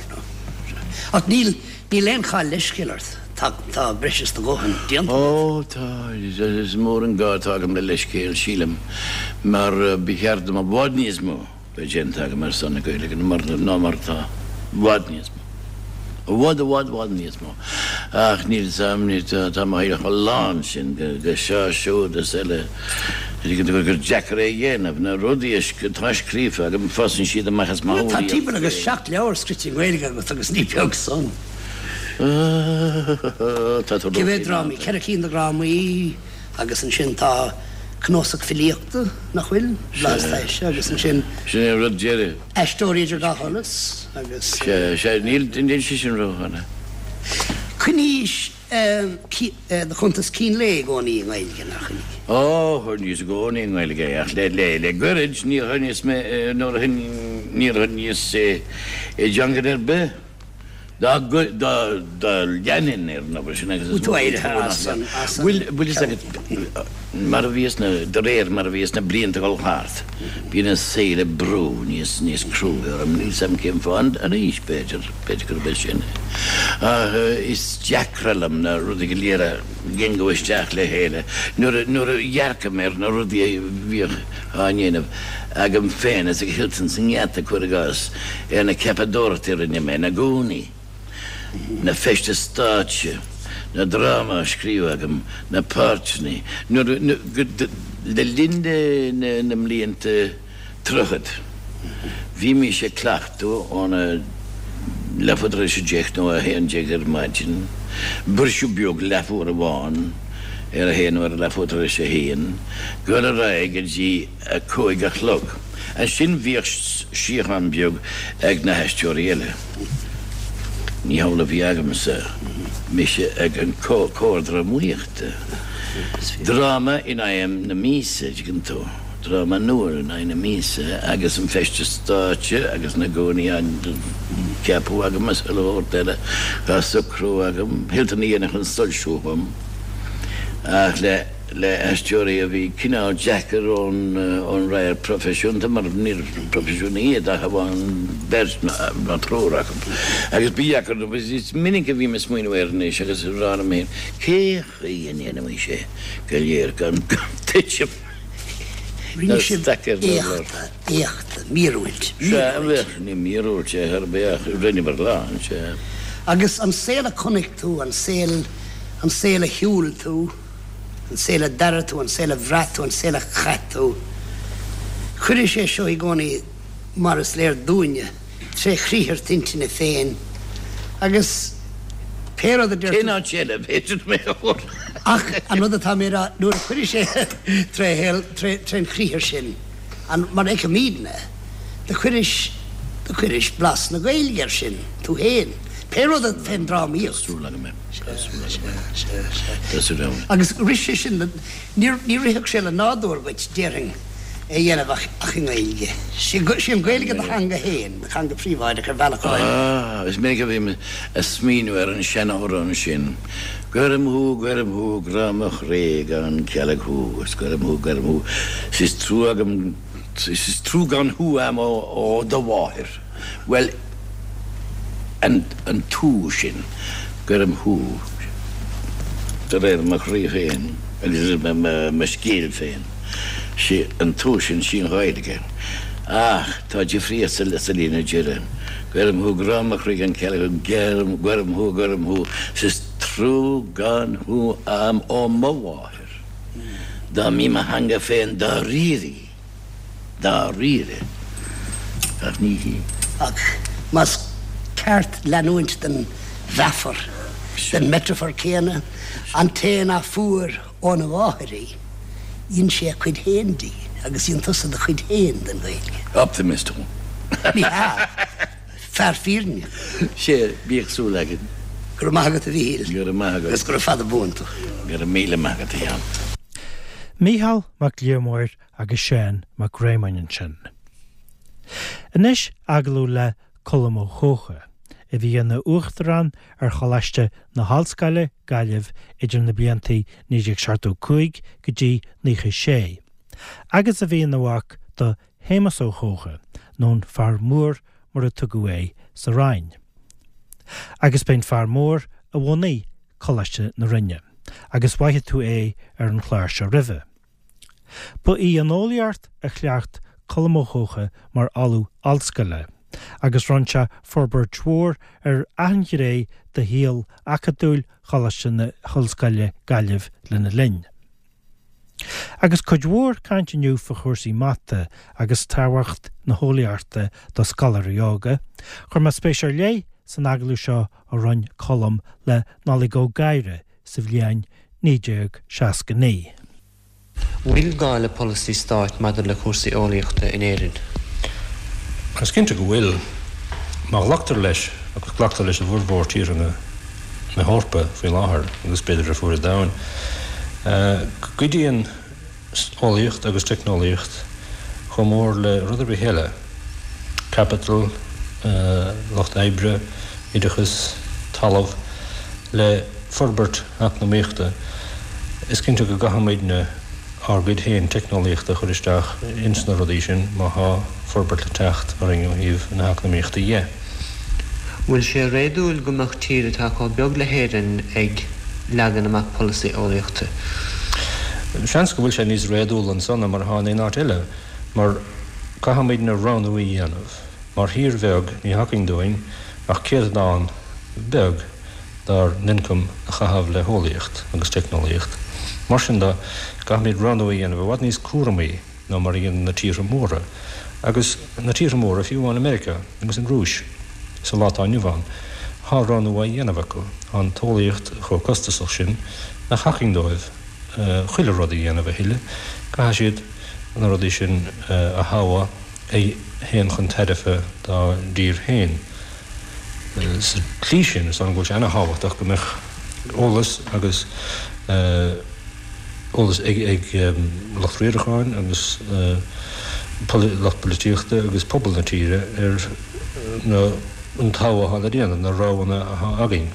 Ach níl. Níl aon chall leithscéil ort, tá, tá breis is do dhóthain déanta agat. Ó, tá, is mór an gá atá agam le leithscéal, sílim, mar ba cheart dom i bhfad níos mó bheith déanta agam ar son na Gaeilge ná mar atá, i bhfad níos mó. I bhfad, i bhfad, bhfad níos mó. Ach níl 'fhios a'm, tá mo shaol chomh lán sin de seo, siúd is eile, gur deacair é a dhéanamh. Na rudaí atá scríofa agam, fásann siad amach as mo Tá shúilí timpeall agus 7 leabhar scrite i nGaeilge agat agus ní beag san. Tá tú Cé mhéad drámaí? 4 cinn de dhrámaí agus ansin tá cnuasach filíochta, nach bhfuil? Blas Taise agus ansin. Sin é an rud deiridh. Aisteoirí idir dhá sholas agus. Sea, sea, níl, níl sé sin ródhona. Choinnís do chuntas cín lae i gcónaí i nGaeilge, nár choinnigh? Ó, choinníos i gcónaí i nGaeilge é, ach le, le, le goirid níor choinníos mé, nuair a, níor choinníos é i dteangain ar bith. Dá leanfainn ar an obair sin agus is mó an trua nach bhfuil. Bhfuil fhios agat, mar a bhíos na, de réir mar a bhíos na blianta ag dul thart, bíonn an saol ag brú níos, níos cruaidhe orm, níl 'fhios a'm cén fáth, an aois b'fhéidir, b'fhéidir gurb é sin é. Ach is deacra liom na rudaí go léir a cheangal isteach le chéile nuair a, nuair a dhearcaim ar na rudaí a bhíodh á ndéanamh agam féin is ag Hilton sa nGeata, cuir i gcás. ar na ceapadóireachtaí a rinne mé, na gúnaí, na feistis stáitse, na drámaí á scríobh agam, na páirteanna, nuair, le linn na mblianta tríochad, bhímís ag cleachtadh óna leathuair tar éis a deich nó a 11 ar maidin, briseadh beag leathuair amháin ar a haon nó ar leathuair tar éis a haon, dul ar aghaidh go dtí 5 a chlog. Ansin bhíodh síochán beag ag na haisteoirí eile. Ní hamhlaidh a bhí agamsa, mise ag an comhar drámaíochta. Dráma in aghaidh na míosa, dtuigeann tú, dráma nua in aghaidh na míosa agus an feisteas stáitse agus na gúnaí á gceapadh agam is chuile shórt eile á socrú agam. Hilton a dhéanfadh an soilsiú dhom ach le. le haisteoirí a bhí cineál deacair ón radharc proifisiúnta mar níorbh proifisiúnaigh iad ach amháin beirt nó triúr acu agus ba dheacair dóibh. Is minic a bhím ag smaoineamh air anois agus ag rá liom féin cé chaoi a ndéanaimís é go léir gan titim Rinne sibh staic ar an urlár. éachta, éachta, míorúilt, Sea, míorúilt. ní míorúilt é ar bith ach rinneamar a lán, sea. Agus an saol a chonaic tú, an saol, an saol a shiúil tú, an saol a d'airigh tú, an saol a bhraith tú, an saol a chaith tú. Cuirfidh sé seo i gcónaí, mar is léir dúinne, tré chriathar t'intinne féin, agus pé rud a deir tú. Cén áit eile a bhféadfadh mé a chur? Ach an rud atá mé a rá, nuair a chuirfidh sé tré shaol, tré, trén chriathar sin, an, mar a fheicimídne, do chuiris, do chuiris blas na Gaeilge air sin, tú féin. Pé rud a, fén drámaíocht. Tá súil agam é. Tá súil agam é. Sea, sea, sea. Tá súil agam. Agus rith sé sin le, níor, ní rithfeadh sé le nádúr dhuit, déarfainn, é a dhéanamh ach, ach i nGaeilge. Sí, sí an Ghaeilge do theanga féin, do theanga phríobháideach ar bhealach áirithe. Ah, is minic a bhím a' smaoineamh ar an seanamhrán sin. Gcuirim thú, gcuirim thú, grá mo chroí gan cealg thú, is gcuirim thú, gcuirim thú, 's is trua agam, 's is trua gan thú a'm ó do mháthair. Bhuel, an, an tú sin, gcuirim thú, de réir mo chroí féin agus mo scéil féin, sí an tú sin, sí an Ghaeilge. Ach tá difríocht sa, sa líne deiridh. Gcuirim thú, grá mo chroí gan cealg thú, gcuirim thú, gcuirim thú, 's is trua gan thú a'm ó mo mháthair. Dá mbí mo theanga féin dáiríre í, dáiríre, ach ní hí. Ach más ceart leanúint den mheafar, den meitrifear céanna, an té ná fuair óna mháthair í. Dhein sé a chuid fhéin di agus dhein tusa do chuid fhéin den Ghaeilge. Optimist thú. Ní hea. Fear fírinne. Sea, bíodh súil againn. Go raibh maith agat a Mhíchíl. Go raibh maith agat. Agus gura fada buan tú. Go raibh míle maith agat a Sheáin. Mícheál Mac Liammóir agus Seán Mac Réamoinn ansin. Anois agallamh le Colm Ó hEocha, a bhí ina Uachtarán ar Choláiste na hOllscoile, Gaillimh idir na blianta 1975 go dtí 96, agus a bhí ina mhac do Shéamus Ó hEocha, nó an Fear Mór mar a tugadh é sa Rinn. Agus b'é an Fear Mór a bhunaigh Coláiste na Rinne, agus mhaithfidh tú é ar an chlár seo roimhe. Ba í an eolaíocht a chleacht Colm Ó hEocha mar ollamh ollscoile, agus rinne sé forbairt mhór ar achan ghné de shaol acadúil Choláiste na hOllscoile, Gaillimh lena linn. Agus cuid mhór caint inniu fá chúrsaí mata agus tábhacht na heolaíochta do scoláirí óga, chuir mé spéis ar leith san agallamh seo a rinne Colm le Nollaig Ó Gadhra sa bhliain 1969. Bhfuil gá le polasaí stáit maidir le cúrsaí eolaíochta in Éirinn? Is cinnte go bhfuil. Má ghlactar leis, agus glactar leis i bhformhór tíortha na hEorpa faoi láthair, agus b'fhéidir ar fuaid an domhain, go gcuidíonn eolaíocht agus teicneolaíocht chomh mór le rud ar bith eile, caipiteal, lucht oibre, oideachas, talamh, le forbairt eacnamaíochta. Is cinnte go gcaithfimidne ár gcuid féin teicneolaíochta a chur isteach ins na rudaí sin má thá forbairt le teacht orainn ó thaobh na heacnamaíochta dhe. Bhfuil sé réadúil go mbeadh tír atá chomh beag le hÉirinn ag leagan amach polasaí eolaíochta? Seans go bhfuil sé níos réadúla anso ná mar atá in aon áit eile, mar caithfimidne roghnú a dhéanamh. Mar thír bheag ní thiocfaidh dúinn ach céatadán beag dár n-ioncam a chaitheamh le heolaíocht agus teicneolaíocht. Mar sin de, caithfimid roghnú a dhéanamh i bhfad níos cúramaí ná mar a dhéanann na tíortha móra. Agus na tíortha móra, fiú amháin i Meiriceá agus an Rúis sa lá atá inniu ann, thá roghnú á dhéanamh acu. Thá an t-eolaíocht chomh costasach sin nach thiocfaidh dóibh chuile rud a dhéanamh a thuilleadh. Caithfidh siad na rudaí sin a thoghadh a théann chun tairbhe dá dtír féin. Sa tslí sin, is dóigh liom go bhfuil sé ana-thábhachtach go mbeadh eolas agus eolas ag lucht riaracháin agus lucht polaitíochta agus pobal na tíre ar an togha atá le déanamh, na roghanna atá againn.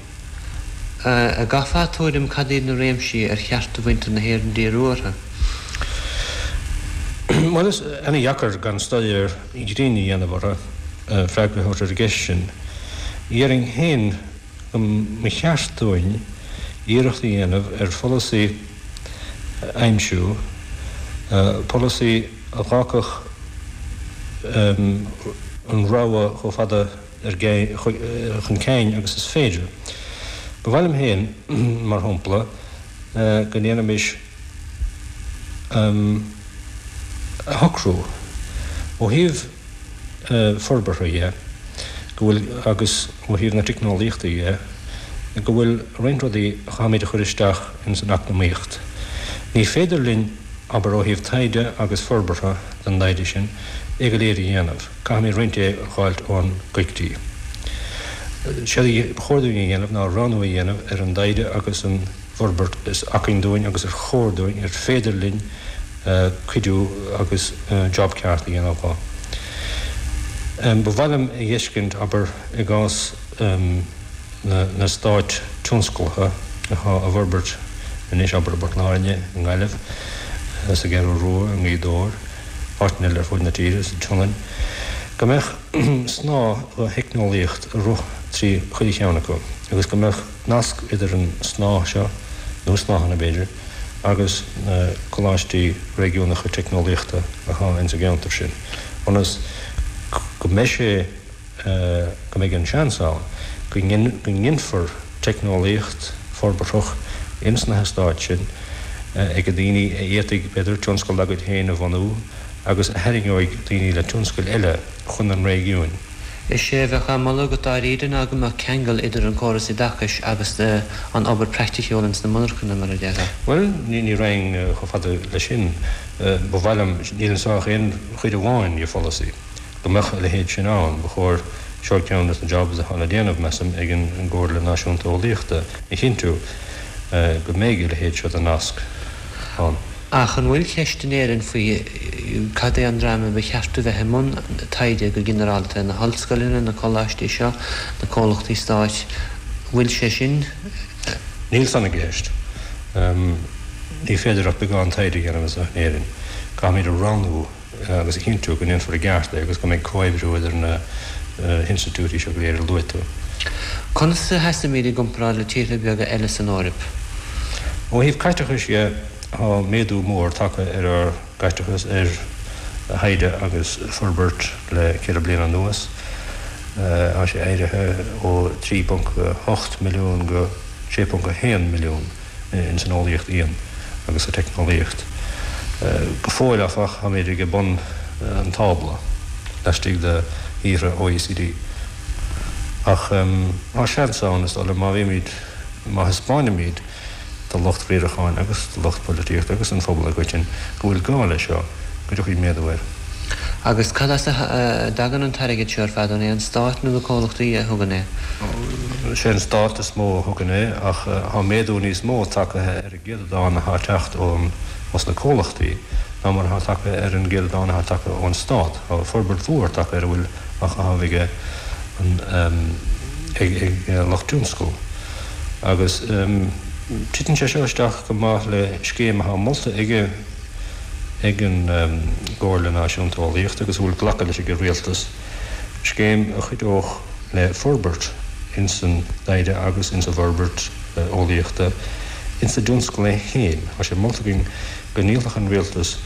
An gcaithfeá tuairim cad iad na réimsí ar cheart do mhuintir na hÉireann díriú orthu? Bhuel, is ana-dheacair gan staidéar grinn a dhéanamh orthu freagra a thabhairt ar an gceist sin. Dhéarfainn féin go mba cheart dúinn iarracht a dhéanamh ar pholasaí a aimsiú, polasaí a dh'fhágfadh an rogha chomh fada chun cinn agus is féidir. Ba mhaith liom féin, mar shampla, go ndéanfaimis a shocrú, ó thaobh forbartha dhe, go bhfuil, agus ó thaobh na teicneolaíochta dhe, go bhfuil roinnt rudaí a chaithfimid a chur isteach ins an eacnamaíocht. Ní féidir linn, abair, ó thaobh taighde agus forbartha den dtaighde sin, é go léir a dhéanamh. Caithfimid roinnt de a dh'fháilt ón gcoigríoch. Séard a ba chóir dúinn a dhéanamh ná roghnú a dhéanamh ar an dtaighde agus an bhforbairt is acmhainn dúinn agus ar chóir dúinn, ar féidir linn cuidiú agus job ceart a dhéanamh dho. Ba mhaith liom a dh'fheiscint, abair, i gcás na n-eastáit tionsclacha atá á bhforbairt anois, abair, i bPort Láirge, i nGaillimh, sa gCeathrú Rua, i nGaoth Dobhair, áiteanna eile ar fud na tíre, sa tSionainn, go mbeadh snáth de theicneolaíocht ag rith trí chuile cheann acu agus go mbeadh nasc idir an snáth seo, nó snáthanna b'fhéidir, agus na coláistí réigiúnacha teicneolaíochta atá ins an gceantar sin, ionas go mbeidh sé, go mbeidh an seans ann go nginfear teicneolaíocht forbarthach ins na heastáit sin ag daoine a fhéadfaidh, b'fhéidir, tionscal dá gcuid féin a bhunú agus a tharraingeoidh daoine le tionscail eile chun an réigiúin. Is é a bheadh á mholadh agat dáiríre ná go mbeadh ceangal idir an córas oideachais agus an obair praiticiúil ins na monarchana, mar a déarfá. Bhuel, ní raghainn chomh fada leis sin. Ba mhaith liom, níl anso ach aon chuid amháin de pholasaí, go mbeadh a leithéid sin ann. Ba chóir, seo ceann des na jobs atá le déanamh, measaim, ag an gComhairle Náisiúnta Eolaíochta, a chinntiú go mbeidh a leithéid seo de nasc ann. Ach an bhfuil ceist in Éirinn faoi cad é an dream a ba cheart a bheith i mbun taighde go ginearálta, na hollscoileanna, na coláistí seo, na comhlachtaí stáit, bhfuil sé sin. Níl san i gceist. Ní féidir ach beagán taighde a dhéanamh anseo in Éirinn. Caithfimid a roghnú agus a chinntiú go ndéanfar i gceart é agus go mbeidh comhoibriú idir na hinstitiúidí seo go léir a luaigh tú. Conas a sheasaimid i gcomparáid le tíortha beaga eile san Eoraip? Ó thaobh caiteachais dhe, tá méadú mór tagtha ar ár gcaiteachas ar thaighde agus forbairt le ceithre bliana anuas. Tá sé éirithe ó 3.8 milliún go 6.1 milliún. ins an eolaíocht íon agus sa teicneolaíocht. Go fóill, áfach, táimid ag bun an tábla laistigh de thíortha OECD. Ach tá seans ann, is dóigh liom, má bhímid, má thaispeáinimid do lucht riaracháin agus do lucht polaitíochta agus don phobal i gcoitinne go bhfuil gá leis seo, go dtiocfaidh méadú air. Agus cad as a dtagann an t-airgead seo ar fad? An é an Stát nó na comhlachtaí a thugann é? Sé an Stát is mó a thugann é ach tá méadú níos mó tagtha ar an gcéatadán atá ag teacht ós na comhlachtaí ná mar atá tagtha ar an gcéatadán atá tagtha ón Stát. Tá forbairt mhór tagtha ar a bhfuil á chaitheamh ag an ag lucht tionscail agus titeann sé seo isteach go maith le scéim atá molta ag ag an gComhairle Náisiúnta Eolaíochta agus a bhfuil glactha leis ag an Rialtas, scéim a chuideodh le forbairt ins an dtaighde agus ins an bhforbairt eolaíochta ins an dtionscal é féin. Tá sé molta againn go ndíolfadh an Rialtas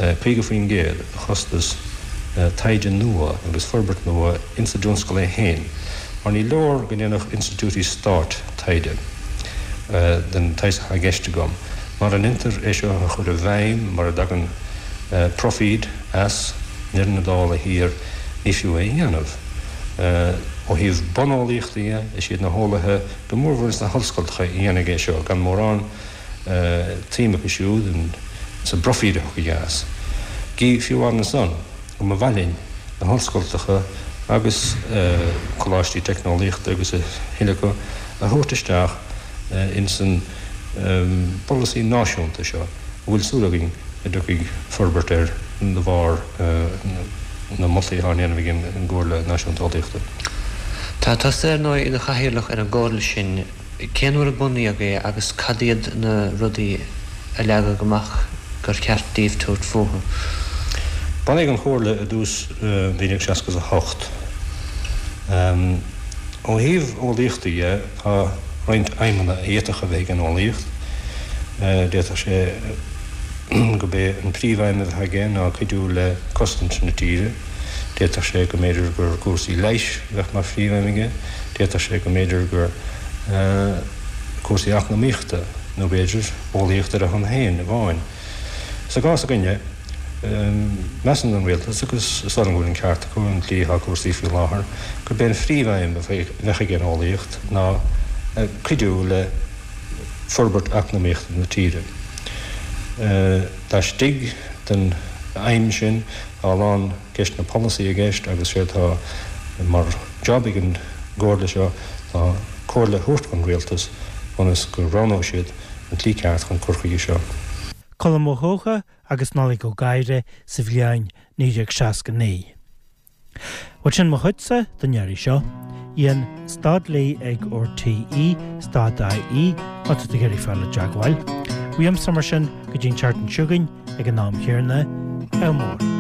50% de chostas taighde nua agus forbairt nua ins an dtionscal é féin, mar ní leor go ndéanfadh institiúidí stáit taighde den tsaghas atá i gceist agam. Mara ndeintear é seo a chur i bhfeidhm, mara dtagann proifíd as i ndeireadh na dála thiar, ní fiú é a dhéanamh. Ó thaobh buneolaíochta dhe, is iad na heolaithe, go mórmhór ins na hollscoltacha, a dhéanfaidh é seo, gan mórán tsuim acu siúd sa bproifíd a thiocfaidh as. Gí fiú ansan, go mba mhaith linn na hollscoltacha agus coláistí teicneolaíochta agus a thuilleadh acu a thabhairt isteach ins an bpolasaí náisiúnta seo a bhfuil súil againn go dtiocfaidh forbairt air de bharr na moltaí atá á ndéanamh ag an gComhairle Náisiúnta Eolaíochta. Tá tusa, ar ndóigh, i do chathaoirleach ar an gcomhairle sin. Cén uair a bunaíodh é agus cad iad na rudaí a leagadh amach gur cheart daoibh tabhairt fúthu? Bunaíodh an Chomhairle i dtús 1968. Ó thaobh eolaíochta dhe, tá roinnt aidhmeanna a d'fhéadfadh a bheith ag an eolaíocht. D'fhéadfadh sé gurb é an príomhaidhm a bheadh aige ná cuidiú le cosaint na tíre. D'fhéadfadh sé go mb'fhéidir gur cúrsaí leighis a bheadh mar phríomhaidhm aige. D'fhéadfadh sé go mb'fhéidir gur cúrsaí eacnamaíochta nó b'fhéidir eolaíocht ar a shon féin amháin. Sa gcás againne, measann an Rialtas, agus is dóigh liom go bhfuil an ceart acu, an tslí atá cúrsaí faoi láthair, gurb é an phríomhaidhm a bheadh ag an eolaíocht ná cuidiú le forbairt eacnamaíochta na tíre. Laistigh den aidhm sin, tá a lán ceisteanna polasaí i gceist agus sé atá mar job ag an gComhairle seo ná comhairle a thabhairt don Rialtas ionas go roghnóidh siad an tslí ceart chun cur chuige seo. Colm Ó hEocha agus Nollaig Ó Gadhra sa bhliain 1969. Bhuel sin mo chuidse don iarraidh seo. Ian Stadley ag RTÉ stad IE má tá tú ag iarraidh fáil i dteagmháil. Uaimse mar sin go dtí an tseachtain seo chugainn ag an am chéanna, ádh mór.